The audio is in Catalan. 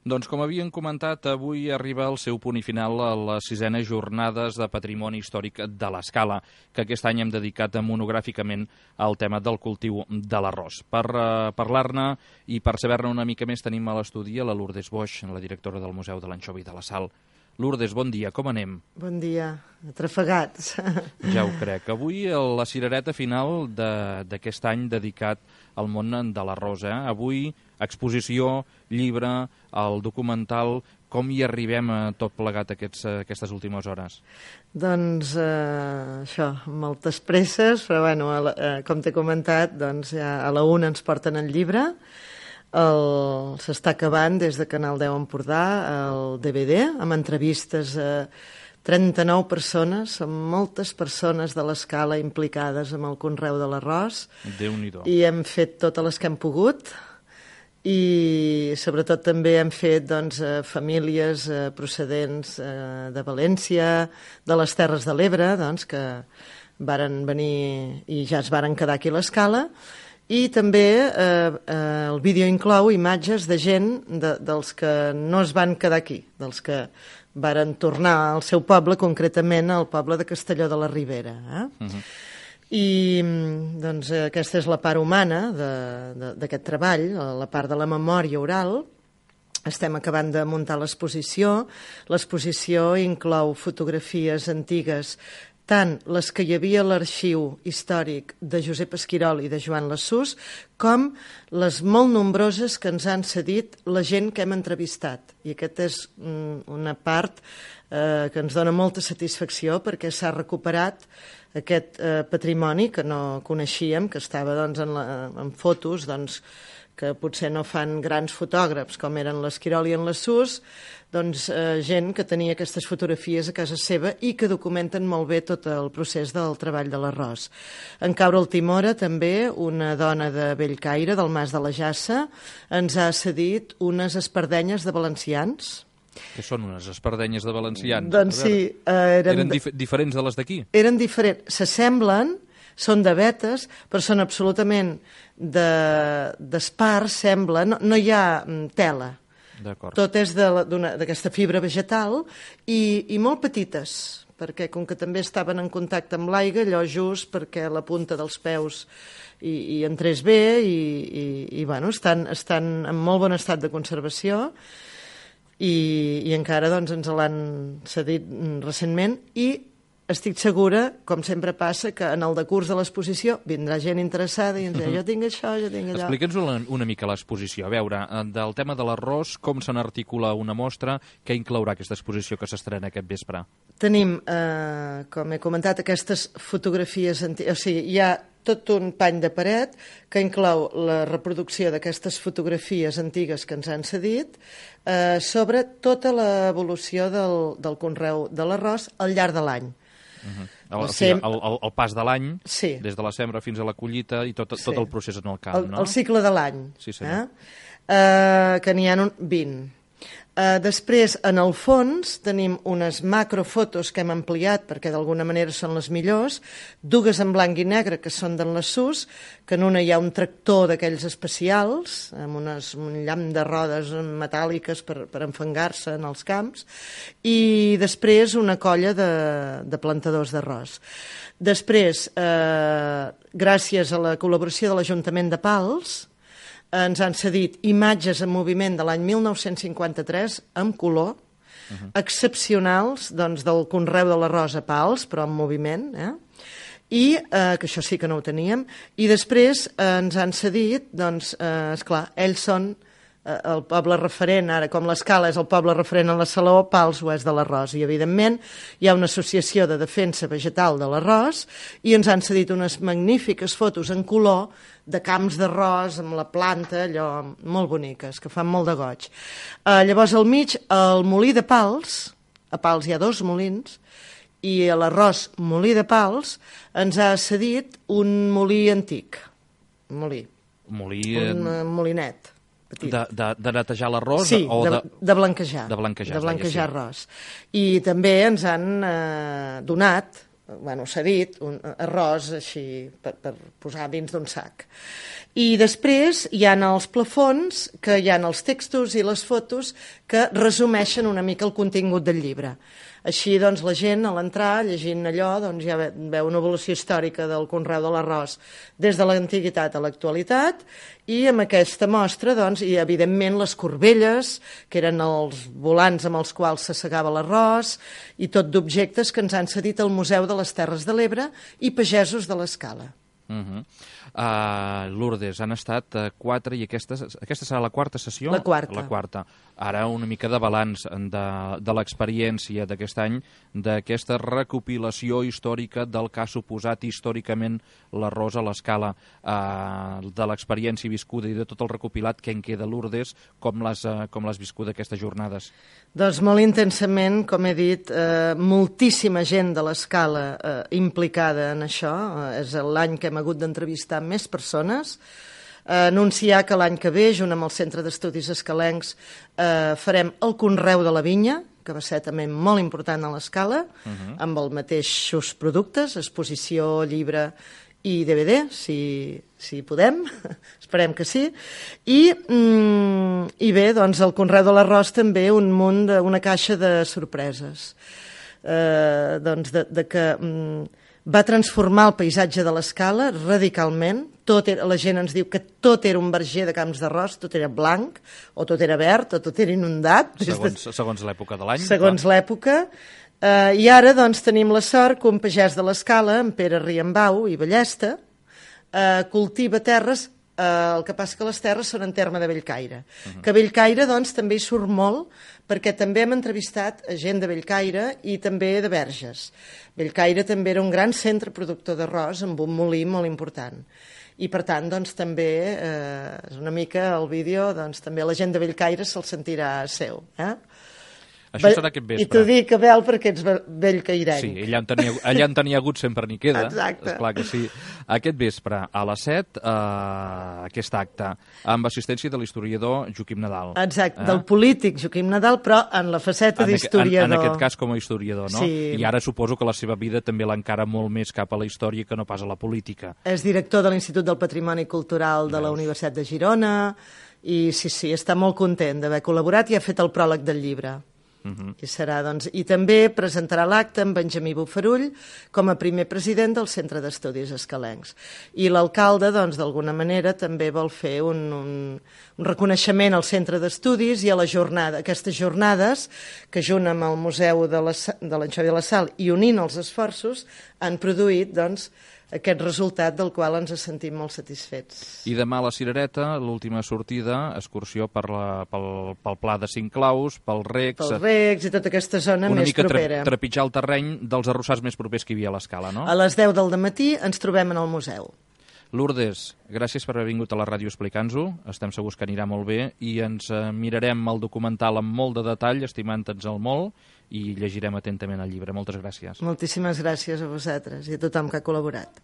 Doncs com havien comentat, avui arriba al seu punt i final a les 6enes jornades de Patrimoni Històric de l'Escala, que aquest any hem dedicat monogràficament al tema del cultiu de l'arròs. Per parlar-ne i per saber-ne una mica més tenim a l'estudi la Lourdes Boix, la directora del Museu de l'Anxova i de la Sal. Lourdes, bon dia, com anem? Bon dia, atrafegats. Ja ho crec. Avui la cirereta final d'aquest any dedicat al món de l'arròs. Avui exposició, llibre, el documental. Com hi arribem tot plegat aquestes últimes hores? Doncs això, moltes presses, però bueno, com t'he comentat, doncs ja a la 1 ens porten el llibre. S'està acabant des de Canal 10 Empordà el DVD amb entrevistes a 39 persones, amb moltes persones de l'Escala implicades amb el conreu de l'arròs. Déu-n'hi-do. I hem fet totes les que hem pogut i sobretot també hem fet famílies procedents de València, de les Terres de l'Ebre, que varen venir i ja es varen quedar aquí a l'Escala. I també el vídeo inclou imatges de gent dels que no es van quedar aquí, dels que varen tornar al seu poble, concretament al poble de Castelló de la Ribera. I doncs aquesta és la part humana d'aquest treball, la part de la memòria oral. Estem acabant de muntar l'exposició. L'exposició inclou fotografies antigues, tant les que hi havia a l'arxiu històric de Josep Esquirol i de Joan Lassús, com les molt nombroses que ens han cedit la gent que hem entrevistat. I aquesta és una part que ens dona molta satisfacció perquè s'ha recuperat aquest patrimoni que no coneixíem, que estava en fotos que potser no fan grans fotògrafs com eren l'Esquirol i en Lassús, gent que tenia aquestes fotografies a casa seva i que documenten molt bé tot el procés del treball de l'arròs. En Caure el Timora, també, una dona de Bellcaire, del Mas de la Jassa, ens ha cedit unes espardenyes de valencians. Què són unes espardenyes de valencians? Doncs sí. Eren diferents de les d'aquí? Eren diferents. S'assemblen, són de vetes, però són absolutament d'espart, sembla. No hi ha tela. Tot és d'aquesta fibra vegetal i molt petites, perquè com que també estaven en contacte amb l'aigua, allò just perquè la punta dels peus hi entrés bé i estan en molt bon estat de conservació i encara ens l'han cedit recentment i estic segura, com sempre passa, que en el decurs de l'exposició vindrà gent interessada i ens dirà, jo tinc això, jo tinc allò. Explica'ns una mica l'exposició. A veure, del tema de l'arròs, com se n'articula una mostra, què inclourà aquesta exposició que s'estrena aquest vespre? Tenim, com he comentat, aquestes fotografies antigues, o sigui, hi ha tot un pany de paret que inclou la reproducció d'aquestes fotografies antigues que ens han cedit sobre tota l'evolució del conreu de l'arròs al llarg de l'any. El pas de l'any, sí. Des de la sembra fins a la collita i tot el procés en el camp, no? El cicle de l'any, sí, senyor. Que n'hi ha 20. Després, en el fons, tenim unes macrofotos que hem ampliat perquè d'alguna manera són les millors, dues en blanc i negre que són d'en Lassús, que en una hi ha un tractor d'aquells especials, amb un llamp de rodes metàl·liques per enfangar-se en els camps, i després una colla de plantadors d'arròs. Després, gràcies a la col·laboració de l'Ajuntament de Pals, ens han cedit imatges en moviment de l'any 1953 en color, excepcionals del conreu de l'arròs a Pals, però en moviment, i que això sí que no ho teníem, i després ens han cedit, esclar, ells són el poble referent, ara com l'Escala és el poble referent a la Saló, Pals ho és de l'arròs, i evidentment hi ha una associació de defensa vegetal de l'arròs i ens han cedit unes magnífiques fotos en color de camps d'arròs amb la planta, allò molt boniques, que fan molt de goig. Llavors al mig, el molí de Pals, a Pals hi ha 2 molins, i a l'arròs molí de Pals ens ha cedit un molí antic, un molinet. Petit. De netejar l'arròs? Sí, de blanquejar. De blanquejar arròs. I també ens han donat s'ha dit, un arròs així per posar dins d'un sac. I després hi ha els plafons, que hi ha els textos i les fotos que resumeixen una mica el contingut del llibre. Així, doncs, la gent, a l'entrar, llegint allò, doncs, ja veu una evolució històrica del conreu de l'arròs des de l'antiguitat a l'actualitat, i amb aquesta mostra, doncs, i evidentment les corbelles, que eren els volants amb els quals s'assegava l'arròs, i tot d'objectes que ens han cedit al Museu de les Terres de l'Ebre i pagesos de l'Escala. Lourdes, han estat 4 i aquesta serà la quarta sessió? La quarta. La quarta. Ara una mica de balanç de l'experiència d'aquest any, d'aquesta recopilació històrica del que ha suposat històricament l'arròs a l'Escala, de l'experiència viscuda i de tot el recopilat que en queda, Lourdes, com l'has viscut aquestes jornades? Doncs molt intensament, com he dit, moltíssima gent de l'Escala implicada en això. És l'any que hem hagut d'entrevistar més persones. Anunciar que l'any que ve, junt amb el Centre d'Estudis Escalencs, farem el conreu de la vinya, que va ser també molt important a l'Escala, amb els mateixos productes, exposició, llibre i DVD, si podem, esperem que sí. I bé, doncs el conreu de l'arròs també un munt, una caixa de sorpreses. Doncs de que va transformar el paisatge de l'Escala radicalment. La gent ens diu que tot era un verger de camps d'arròs, tot era blanc, o tot era verd, o tot era inundat. Segons l'època de l'any. Segons l'època. I ara doncs, tenim la sort que un pagès de l'Escala, en Pere Riambau i Ballesta, cultiva terres. El que passa que les terres són en terme de Bellcaire. Que Bellcaire doncs, també hi surt molt, perquè també hem entrevistat gent de Bellcaire i també de Verges. Bellcaire també era un gran centre productor d'arròs amb un molí molt important. I per tant, doncs, també és una mica el vídeo, doncs, també la gent de Bellcaire se'l sentirà seu. Això serà aquest vespre. I t'ho dic, Abel, perquè ets bellcairenc. Sí, allà en tenia hagut sempre n'hi queda. Exacte. Esclar que sí. Aquest vespre, a les 7, aquest acte, amb assistència de l'historiador Joaquim Nadal. Exacte, del polític Joaquim Nadal, però en la faceta d'historiador. En aquest cas com a historiador, no? Sí. I ara suposo que la seva vida també l'encara molt més cap a la història que no pas a la política. És director de l'Institut del Patrimoni Cultural de la Universitat de Girona, i sí, està molt content d'haver col·laborat i ha fet el pròleg del llibre. I serà, doncs, i també presentarà l'acte amb Benjamí Bofarull com a primer president del Centre d'Estudis Escalencs. I l'alcalde, doncs, d'alguna manera també vol fer un reconeixement al Centre d'Estudis i a la jornada, aquestes jornades que junt amb el Museu de l'Anxovi de la Sal i unint els esforços han produït, doncs, aquest resultat del qual ens sentim molt satisfets. I demà a la Cirereta, l'última sortida, excursió pel Pla de Cinc Claus, pels Recs... Pels Recs i tota aquesta zona més propera. Una mica trepitjar el terreny dels arrossars més propers que hi havia a l'Escala, no? A les 10 del matí ens trobem en el museu. Lourdes, gràcies per haver vingut a la ràdio a explicar-nos-ho. Estem segurs que anirà molt bé i ens mirarem el documental amb molt de detall, estimant-nos el molt, i llegirem atentament el llibre. Moltes gràcies. Moltíssimes gràcies a vosaltres i a tothom que ha col·laborat.